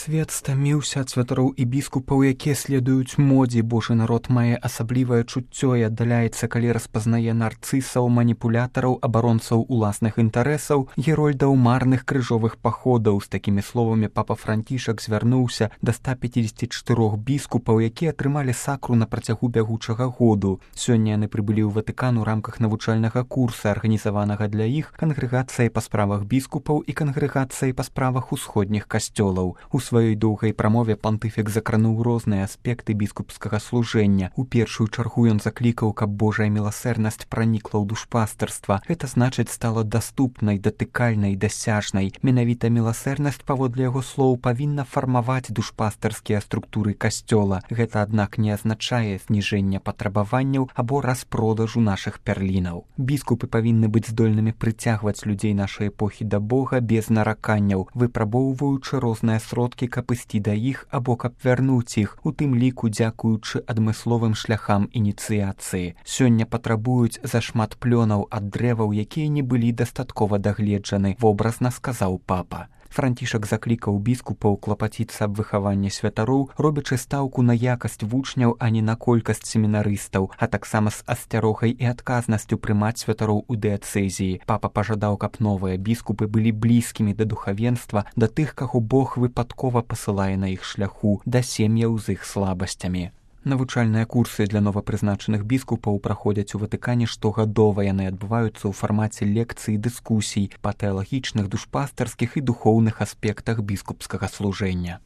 Свет стаміўся ад святароў і біскупаў, якія следуюць модзе. Божы народ мае асаблівае чуццё і аддаляецца, калі распазнае нарцысаў, маніпулятараў, абаронцаў уласных інтарэсаў, герольдаў марных крыжовых паходаў. З такімі словамі папа Францішак звярнуўся да 154 біскупаў, якія атрымалі сакру на працягу бягучага году. Сёння яны прыбылі ў Ватыкан у рамках навучальнага курса, арганізаванага для іх кангрэгацыяй па справах біскупаў і кангрэгацыяй па справах усходніх касцёлаў. У сваёй доўгай прамове пантыфік закрануў розныя аспекты біскупскага служэння. У першую чаргу ён заклікаў, каб Божая міласэрнасць пранікла ў душпастарства. Гэта значыць стала даступнай, датыкальнай, дасяжнай. Менавіта міласэрнасць, паводле яго слоў, павінна фармаваць душпастарскія структуры касцёла. Гэта, аднак, не азначае зніжэння патрабаванняў або распродажу нашых пярлінаў. Біскупы павінны быць здольнымі прыцягваць людзей нашай эпохі да Бога без нараканняў, выпрабоўваючы розныя сродкі, каб ісці да іх або каб вярнуць іх, у тым ліку дзякуючы адмысловым шляхам ініцыяцыі. Сёння патрабуюць зашмат плёнаў ад дрэваў, якія не былі дастаткова дагледжаны, вобразна сказаў папа. Францішак заклікаў біскупаў клапаціцца аб выхаванні святароў, робячы стаўку на якасць вучняў, а не на колькасць семінарыстаў, а таксама з асцярогай і адказнасцю прымаць святароў у дыяцэзіі. Папа пажадаў, каб новыя біскупы былі блізкімі да духавенства, да тых, каго Бог выпадкова пасылае на іх шляху, да сем'яў з іх слабасцямі. Навучальныя курсы для новапрызначаных біскупаў праходзяць у Ватыкане штогадова. Яны адбываюцца ў фармаце лекцый і дыскусій па тэалагічных, душпастарскіх і духоўных аспектах біскупскага служэння.